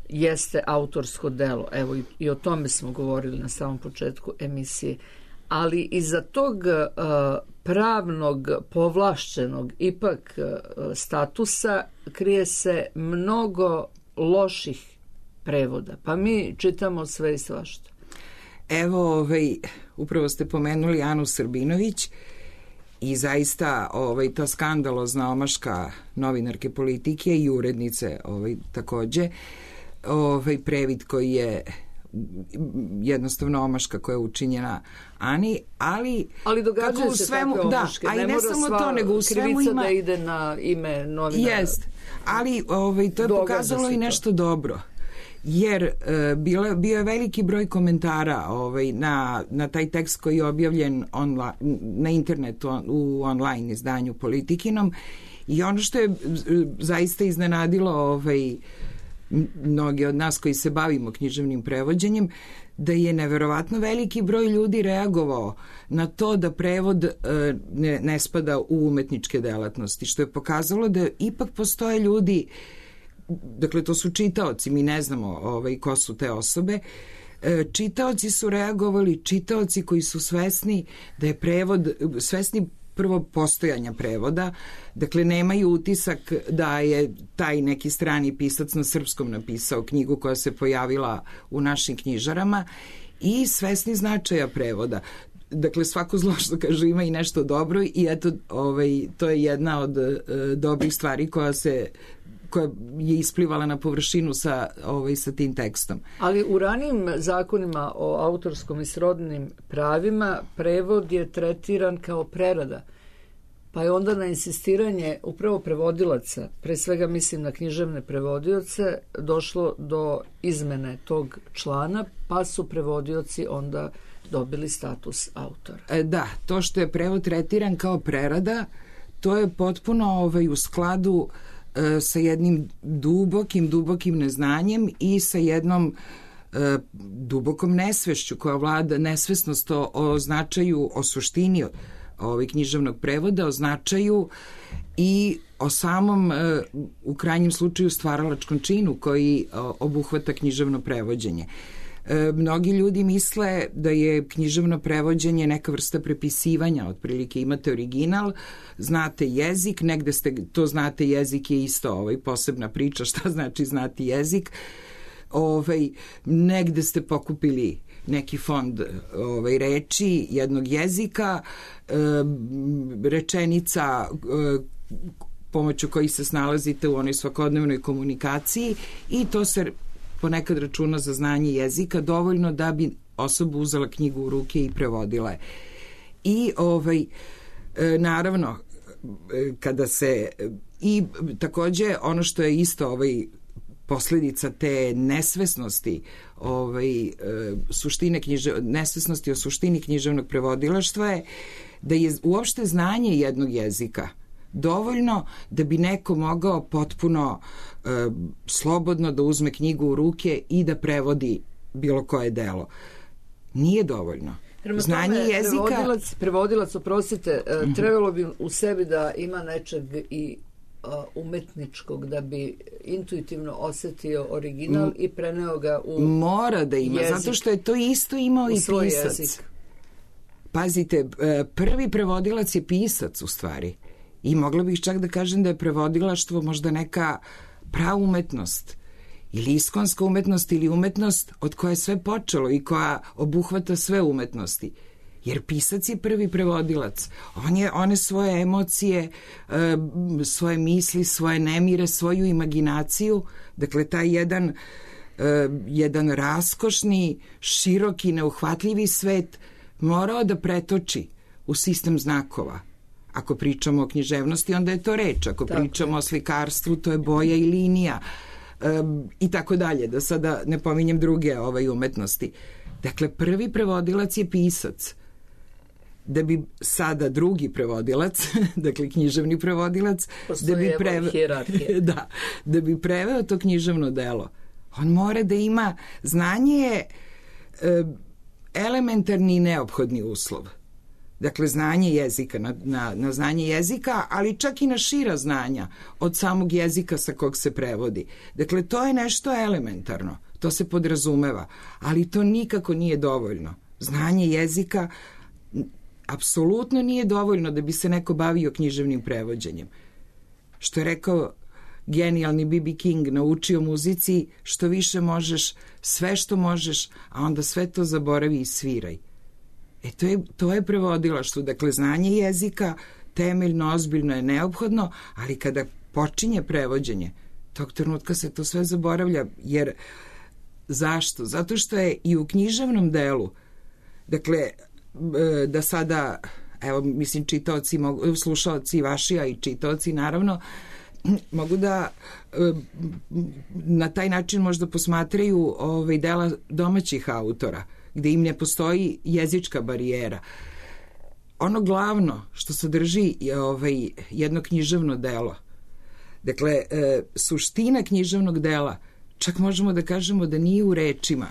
jeste autorsko delo, evo i o tome smo govorili na samom početku emisije, ali iza tog pravnog povlašćenog ipak statusa krije se mnogo loših prevoda. Pa mi čitamo sve i svašta. Evo, upravo ste pomenuli Anu Srbinović i zaista ta skandalozna omaška novinarke Politike i urednice takođe, previd koji je jednostavno omaška koja je učinjena Ani, ali događaju se takve omaške. Ne mora sva krivica da ide na ime novinara. Jest, ali to je pokazalo i nešto dobro. Jer bio je veliki broj komentara na taj tekst koji je objavljen na internetu u online izdanju Politikinom i ono što je zaista iznenadilo mnogi od nas koji se bavimo književnim prevođenjem, da je neverovatno veliki broj ljudi reagovao na to da prevod ne spada u umetničke delatnosti, što je pokazalo da ipak postoje ljudi, dakle to su čitaoci, mi ne znamo ko su te osobe, čitaoci su reagovali, čitaoci koji su svesni da je prevod, svesni prvo postojanja prevoda, dakle nemaju utisak da je taj neki strani pisac na srpskom napisao knjigu koja se pojavila u našim knjižarama i svesni značaja prevoda. Dakle, svako zlo što kaže ima i nešto dobro i eto, to je jedna od dobrih stvari koja je isplivala na površinu sa tim tekstom. Ali u ranijim zakonima o autorskom i srodnim pravima prevod je tretiran kao prerada. Pa je onda na insistiranje upravo prevodilaca, pre svega mislim na književne prevodioce, došlo do izmene tog člana, pa su prevodioci onda dobili status autora. Da, to što je prevod tretiran kao prerada, to je potpuno u skladu sa jednim dubokim neznanjem i sa jednom dubokom nesvešću koja vlada, nesvesnost o značaju, o suštini književnog prevoda, o značaju i o samom, u krajnjem slučaju, stvaralačkom činu koji obuhvata književno prevođenje. Mnogi ljudi misle da je književno prevođenje neka vrsta prepisivanja, otprilike imate original, znate jezik, negde ste, to znate jezik je isto posebna priča šta znači znati jezik, negde ste pokupili neki fond reči jednog jezika, rečenica pomoću kojih se snalazite u onoj svakodnevnoj komunikaciji i to se ponekad računa za znanje jezika dovoljno da bi osoba uzela knjigu u ruke i prevodila je. I naravno kada se i takođe ono što je isto posledica te nesvesnosti suštine nesvesnosti o suštini književnog prevodilaštva je da je uopšte znanje jednog jezika dovoljno da bi neko mogao potpuno slobodno da uzme knjigu u ruke i da prevodi bilo koje delo. Nije dovoljno. Znanje jezika... Prevodilac, oprostite, trebalo bi u sebi da ima nečeg i umetničkog, da bi intuitivno osetio original i preneo ga u mora da ima, jezik, zato što je to isto imao i pisac. Jezik. Pazite, prvi prevodilac je pisac u stvari. I mogla bih čak da kažem da je prevodilaštvo možda neka praumetnost ili iskonska umetnost ili umetnost od koje je sve počelo i koja obuhvata sve umetnosti. Jer pisac je prvi prevodilac. One svoje emocije, svoje misli, svoje nemire, svoju imaginaciju, dakle taj jedan raskošni, široki, neuhvatljivi svet morao da pretoči u sistem znakova. Ako pričamo o književnosti, onda je to reč. Ako pričamo o slikarstvu, to je boja i linija. I tako dalje, da sada ne pominjem druge umetnosti. Dakle, prvi prevodilac je pisac. Da bi sada drugi prevodilac, dakle književni prevodilac, da bi preveo to književno delo, on mora da ima znanje, elementarni i neophodni uslov. Dakle, znanje jezika, na znanje jezika, ali čak i na šira znanja od samog jezika sa kog se prevodi. Dakle, to je nešto elementarno, to se podrazumeva, ali to nikako nije dovoljno. Znanje jezika apsolutno nije dovoljno da bi se neko bavio književnim prevođenjem. Što je rekao genijalni B.B. King, naučio muzici što više možeš, sve što možeš, a onda sve to zaboravi i sviraj. To je prevodilaštvo. Dakle, znanje jezika temeljno, ozbiljno je neophodno, ali kada počinje prevođenje, tog trenutka se to sve zaboravlja, jer zašto? Zato što je i u književnom delu, dakle, da sada, evo, mislim, čitaoci, slušaoci vaši, a i čitaoci, naravno, mogu da na taj način možda posmatraju dela domaćih autora, gde im ne postoji jezička barijera. Ono glavno što sadrži jedno književno delo, dakle, suština književnog dela, čak možemo da kažemo da nije u rečima,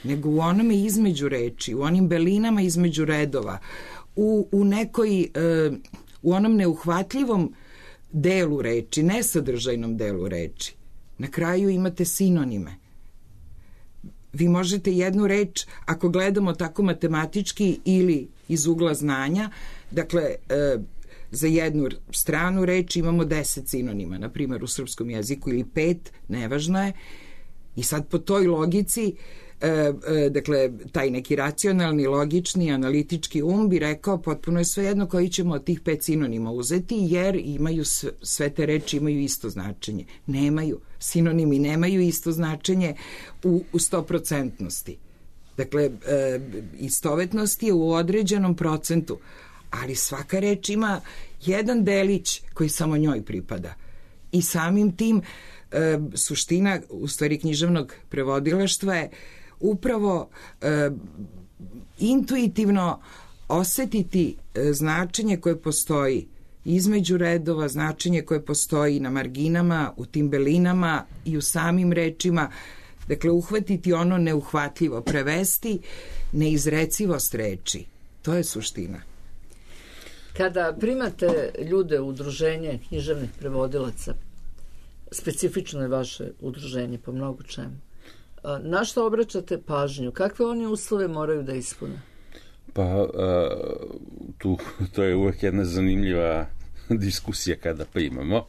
nego u onome između reči, u onim belinama između redova, u onom neuhvatljivom delu reči, nesadržajnom delu reči. Na kraju imate sinonime. Vi možete jednu reč, ako gledamo tako matematički ili iz ugla znanja, dakle, za jednu stranu reč imamo 10 sinonima, na primjer u srpskom jeziku, ili 5, nevažno je. I sad po toj logici, dakle, taj neki racionalni, logični, analitički bi rekao potpuno je svejedno koji ćemo od tih 5 sinonima uzeti, jer imaju sve te reči imaju isto značenje. Nemaju. Sinonimi nemaju isto značenje u 100%. Dakle, istovetnost je u određenom procentu, ali svaka reč ima jedan delić koji samo njoj pripada. I samim tim suština, u stvari, književnog prevodilaštva je upravo intuitivno osetiti značenje koje postoji između redova, značenje koje postoji na marginama, u tim belinama i u samim rečima. Dakle, uhvatiti ono neuhvatljivo, prevesti neizrecivost reči. To je suština. Kada primate ljude u udruženje književnih prevodilaca, specifično je vaše udruženje po mnogo čemu, na što obraćate pažnju? Kakve oni uslove moraju da ispune? Pa, to je uvek jedna zanimljiva diskusija kada primamo.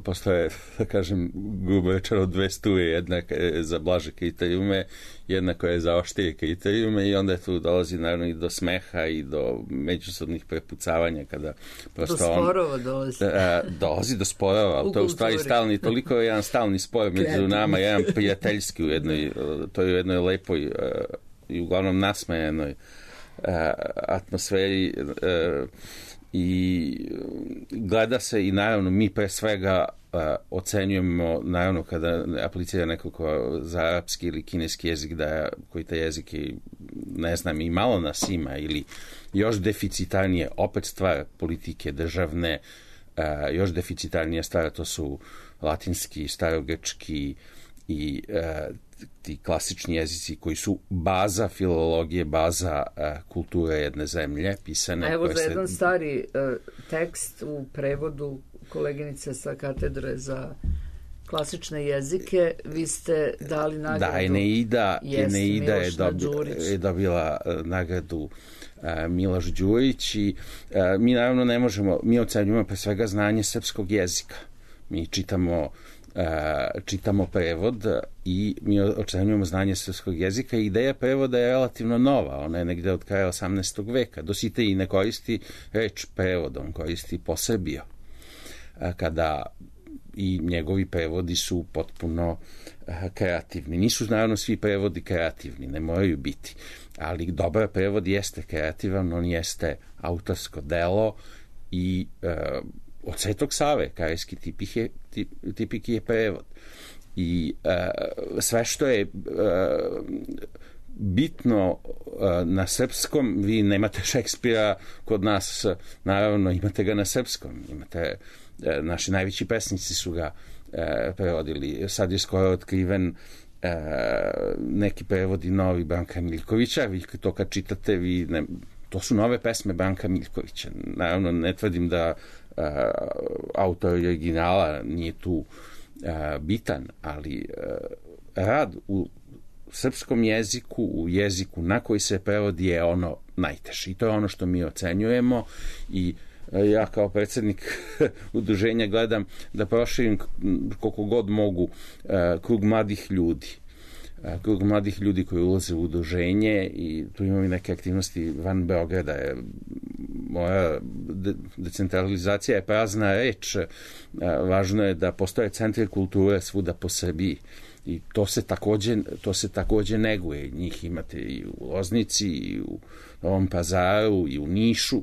Postoje, da kažem, grubo rečeno, 2 struje, jedna je za blaže kriterijume, jedna koja je za oštrije kriterijume, i onda tu dolazi naravno i do smeha i do međusobnih prepucavanja kada prosto do sporova dolazi. Dolazi do sporova, ali to je u stvari stalni, toliko je jedan stalni spor među nama, jedan prijateljski to je u jednoj lepoj i uglavnom nasmejenoj atmosferi, i gleda se, i naravno mi pre svega ocenjujemo, naravno kada aplicira neko ko za arapski ili kineski jezik, koji te jezike, ne znam, i malo nas ima, ili još deficitarnije, opet stvar politike državne, još deficitarnija stvar, to su latinski, starogrčki i ti klasični jezici koji su baza filologije, baza kulture jedne zemlje, pisane. A evo za jedan stari tekst u prevodu koleginice sa katedre za klasične jezike, vi ste dali nagradu. Da, Eneida je dobila nagradu Miloš Đurić, i mi naravno ne možemo, mi ocenjujemo pre svega znanje srpskog jezika. Mi čitamo prevod i mi ocenjujemo znanje srpskog jezika, i ideja prevoda je relativno nova, ona je negde od kraja 18. veka. Dositej ne koristi reč prevod, on koristi posebio, kada i njegovi prevodi su potpuno kreativni. Nisu naravno svi prevodi kreativni, ne moraju biti, ali dobar prevod jeste kreativan, on jeste autorsko delo, i od Svetog Save, Karejski tipik je prevod. I sve što je bitno na srpskom, vi nemate Šekspira kod nas, naravno imate ga na srpskom, imate, naši najveći pesnici su ga prevodili. Sad je skoro otkriven neki prevodi novi Branka Miljkovića, vi to kad čitate, to su nove pesme Branka Miljkovića. Naravno, ne tvrdim da autor originala nije tu bitan, ali rad u srpskom jeziku, u jeziku na koji se prevodi je ono najteže. I to je ono što mi ocenjujemo i ja kao predsjednik udruženja gledam da proširim koliko god mogu krug mladih ljudi. Krug mladih ljudi koji ulaze u udruženje i tu imamo i neke aktivnosti van Beograda. Moja decentralizacija je prazna reč. Važno je da postoje centri kulture svuda po Srbiji. I to se takođe neguje. Njih imate i u Loznici, i u Novom Pazaru, i u Nišu,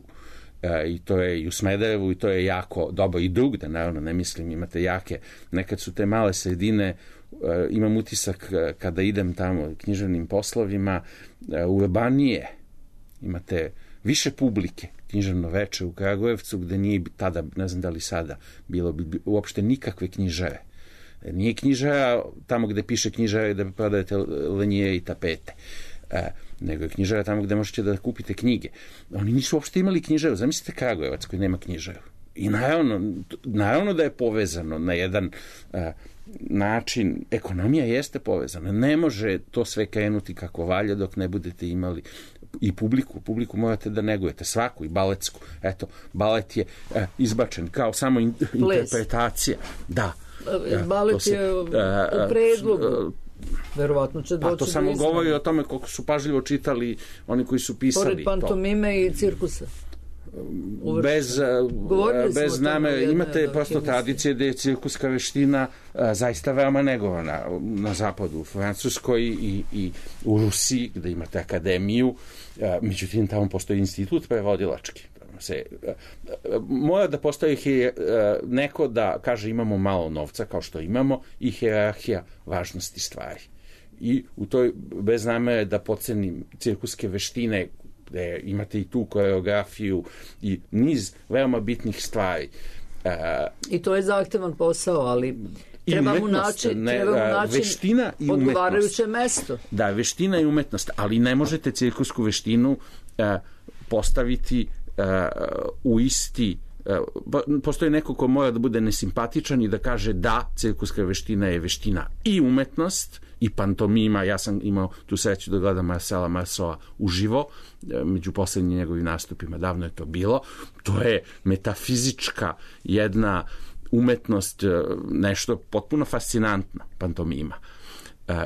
i to je i u Smederevu, i to je jako dobro. I drugde, naravno, ne mislim, imate jake. Nekad su te male sredine, imam utisak kada idem tamo književnim poslovima, urbanije, imate više publike. Književno veče u Kragujevcu, gde nije tada, ne znam da li sada, bilo bi uopšte nikakve knjižare. Nije knjižara tamo gde piše knjižara i da prodajete lenije i tapete, nego je knjižara tamo gde možete da kupite knjige. Oni nisu uopšte imali knjižaru. Zamislite Kragujevac koji nema knjižaru. I naravno da je povezano na jedan način. Ekonomija jeste povezana. Ne može to sve krenuti kako valja dok ne budete imali i publiku. Publiku morate da negujete, svaku, i baletsku. Eto, balet je izbačen kao samo interpretacija. Da. Balet je u predlogu. Verovatno će doći. To samo govori o tome koliko su pažljivo čitali oni koji su pisali to. Pored pantomime i cirkusa. Bez namere. Imate prosto tradicije da je cirkuska veština zaista veoma negovana na zapadu, u Francuskoj i u Rusiji, gde imate akademiju. Međutim, tamo postoji institut prevodilački. Mora da postoji neko da kaže imamo malo novca, kao što imamo, i hijerarhija važnosti stvari. I u toj, bez namere da podcenim cirkuske veštine, gde imate i tu koreografiju i niz veoma bitnih stvari. I to je zahtevan posao, ali treba mu naći odgovarajuće mesto. Da, veština i umetnost, ali ne možete cirkusku veštinu postaviti u isti. Postoji neko ko mora da bude nesimpatičan i da kaže da, cirkuska veština je veština i umetnost i pantomima. Ja sam imao tu sreću da gledam Marcela Marceau uživo među poslednjim njegovim nastupima, davno je to bilo. To je metafizička jedna umetnost, nešto potpuno fascinantno, pantomima.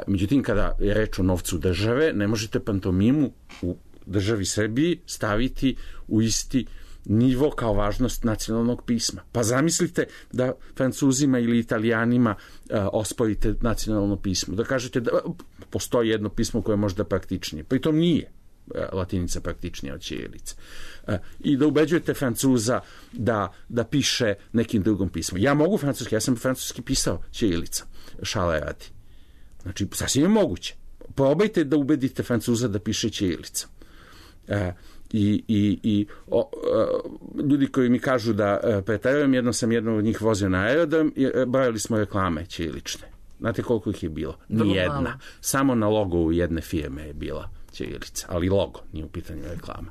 Međutim, kada je reč o novcu države, ne možete pantomimu u državi Srbiji staviti u isti nivo kao važnost nacionalnog pisma. Pa zamislite da Francuzima ili Italijanima osporite nacionalno pismo. Da kažete da postoji jedno pismo koje je možda praktičnije. Pritom nije latinica praktičnija od ćirilice. I da ubeđujete Francuza da piše nekim drugom pismom. Ja mogu francuski, ja sam francuski pisao ćirilica. Šale radi. Znači, sasvim je moguće. Probajte da ubedite Francuza da piše ćirilicom. Ljudi koji mi kažu da preterujem, jednom sam jednog od njih vozio na aerodrom i brojali smo reklame ćirilične. Znate koliko ih je bilo? Nijedna. Samo na logovu jedne firme je bila ćirilica, ali logo, nije u pitanju reklama.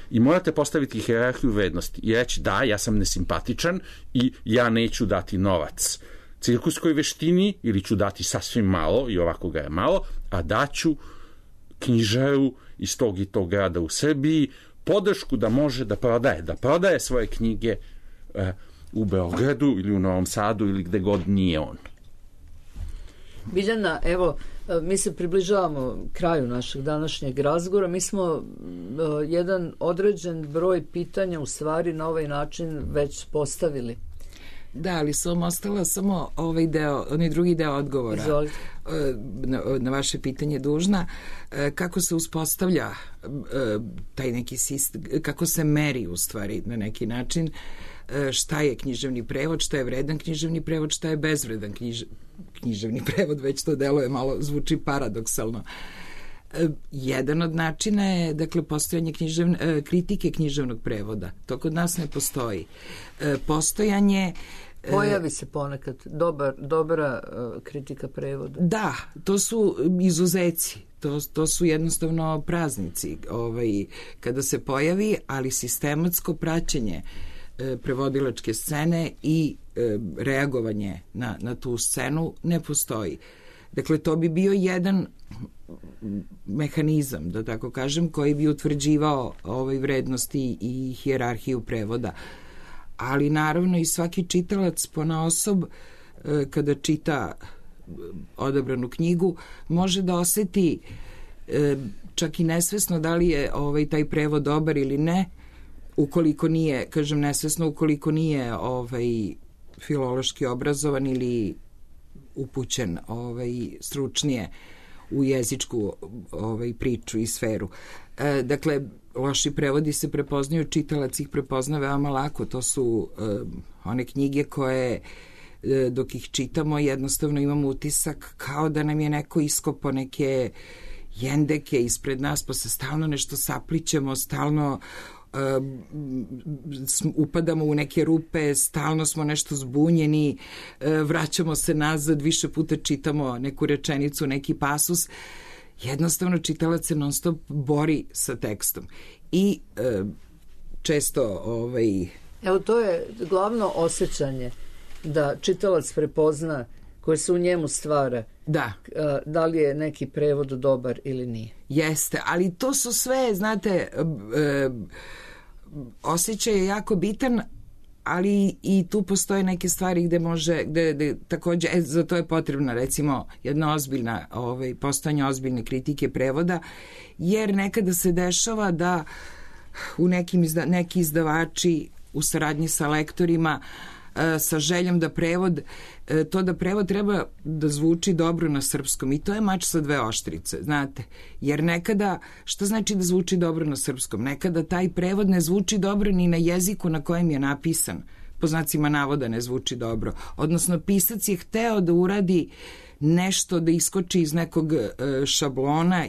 I morate postaviti hijerarhiju vrednosti i reći da, ja sam nesimpatičan i ja neću dati novac cirkuskoj veštini ili ću dati sasvim malo i ovako ga je malo, a daću knjižaru iz tog i tog grada u Srbiji podršku da može da prodaje svoje knjige u Beogradu ili u Novom Sadu ili gde god nije on. Biljana, evo, mi se približavamo kraju našeg današnjeg razgovora. Mi smo jedan određen broj pitanja u stvari na ovaj način već postavili. Da, ali sam ostala samo onaj drugi deo odgovora. Izvolite. Na vaše pitanje dužna. Kako se uspostavlja taj neki sistem, kako se meri u stvari na neki način, šta je književni prevod, šta je vredan književni prevod, šta je bezvredan književni prevod, već to deluje malo, zvuči paradoksalno. Jedan od načina je, dakle, postojanje kritike književnog prevoda. To kod nas ne postoji. Postojanje... Pojavi se ponekad dobra kritika prevoda. Da, to su izuzeci. To su jednostavno praznici kada se pojavi, ali sistematsko praćenje prevodilačke scene i reagovanje na tu scenu ne postoji. Dakle, to bi bio jedan mehanizam, da tako kažem, koji bi utvrđivao vrednosti i hijerarhiju prevoda. Ali naravno i svaki čitalac ponaosob kada čita odabranu knjigu može da oseti čak i nesvesno da li je taj prevod dobar ili ne, ukoliko nije, kažem nesvesno, ukoliko nije filološki obrazovan ili upućen stručnije u jezičku priču i sferu. Dakle, loši prevodi se prepoznaju, čitalac ih prepozna veoma lako. To su one knjige koje dok ih čitamo jednostavno imamo utisak kao da nam je neko iskopao neke jendeke ispred nas, pa se stalno nešto saplićemo, stalno upadamo u neke rupe, stalno smo nešto zbunjeni, vraćamo se nazad, više puta čitamo neku rečenicu, neki pasus. Jednostavno čitalac se non stop bori sa tekstom i često Evo, to je glavno osjećanje, da čitalac prepozna koje se u njemu stvara. Da li je neki prevod dobar ili nije. Jeste, ali to su sve, znate, osjećaj je jako bitan, ali i tu postoje neke stvari gde takođe, za to je potrebna recimo jedna ozbiljna, postojanje ozbiljne kritike prevoda, jer nekada se dešava da u neki izdavači u saradnji sa lektorima sa željom da prevod treba da zvuči dobro na srpskom i to je mač sa dve oštrice, znate, jer nekada, što znači da zvuči dobro na srpskom? Nekada taj prevod ne zvuči dobro ni na jeziku na kojem je napisan, po znacima navoda ne zvuči dobro, odnosno pisac je hteo da uradi nešto, da iskoči iz nekog šablona,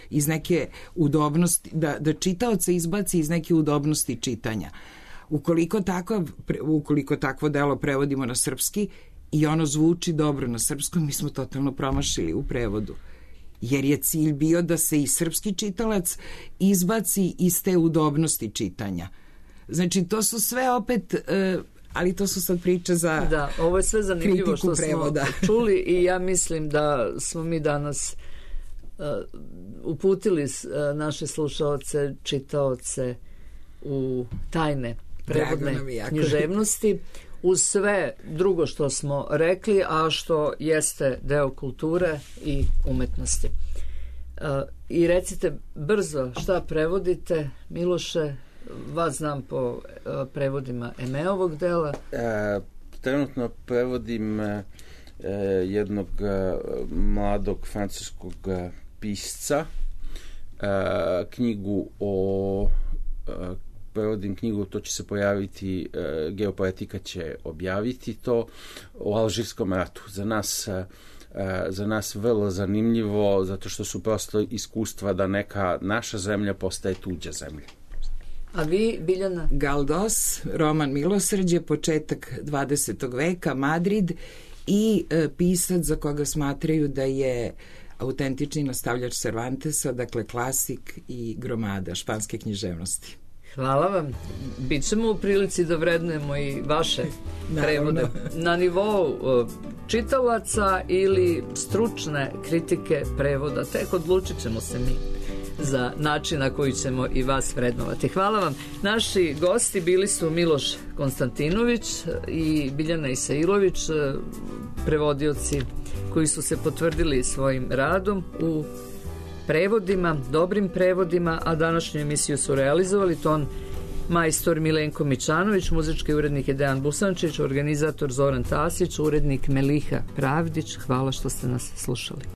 iz neke udobnosti, da čitaoca izbaci iz neke udobnosti čitanja. Ukoliko takvo delo prevodimo na srpski i ono zvuči dobro na srpskom, mi smo totalno promašili u prevodu. Jer je cilj bio da se i srpski čitalac izbaci iz te udobnosti čitanja. Znači, to su sve opet, ali to su sad priče za kritiku prevoda. Da, ovo je sve zanimljivo što prevoda smo čuli i ja mislim da smo mi danas uputili naše slušaoce, čitaoce u tajne prevodne književnosti uz sve drugo što smo rekli, a što jeste deo kulture i umetnosti. I recite brzo šta prevodite, Miloše, vas znam po prevodima Emeovog dela. Trenutno prevodim jednog mladog francuskog pisca, prevodim knjigu, to će se pojaviti, Geopoetika će objaviti to, o Alžirskom ratu. Za nas vrlo zanimljivo, zato što su prosto iskustva da neka naša zemlja postaje tuđa zemlja. A vi, Biljana? Galdos, roman Milosrđe, početak 20. veka, Madrid, i pisac za koga smatraju da je autentični nastavljač Cervantesa, dakle klasik i gromada španske književnosti. Hvala vam. Bićemo u prilici da vrednujemo i vaše prevode na nivou čitalaca ili stručne kritike prevoda. Tek odlučit ćemo se mi za način na koji ćemo i vas vrednovati. Hvala vam. Naši gosti bili su Miloš Konstantinović i Biljana Isailović, prevodioci koji su se potvrdili svojim radom u prevodima, dobrim prevodima, a današnju emisiju su realizovali ton majstor Milenko Mićanović, muzički urednik je Dejan Busančić, organizator Zoran Tasić, urednik Meliha Pravdić. Hvala što ste nas slušali.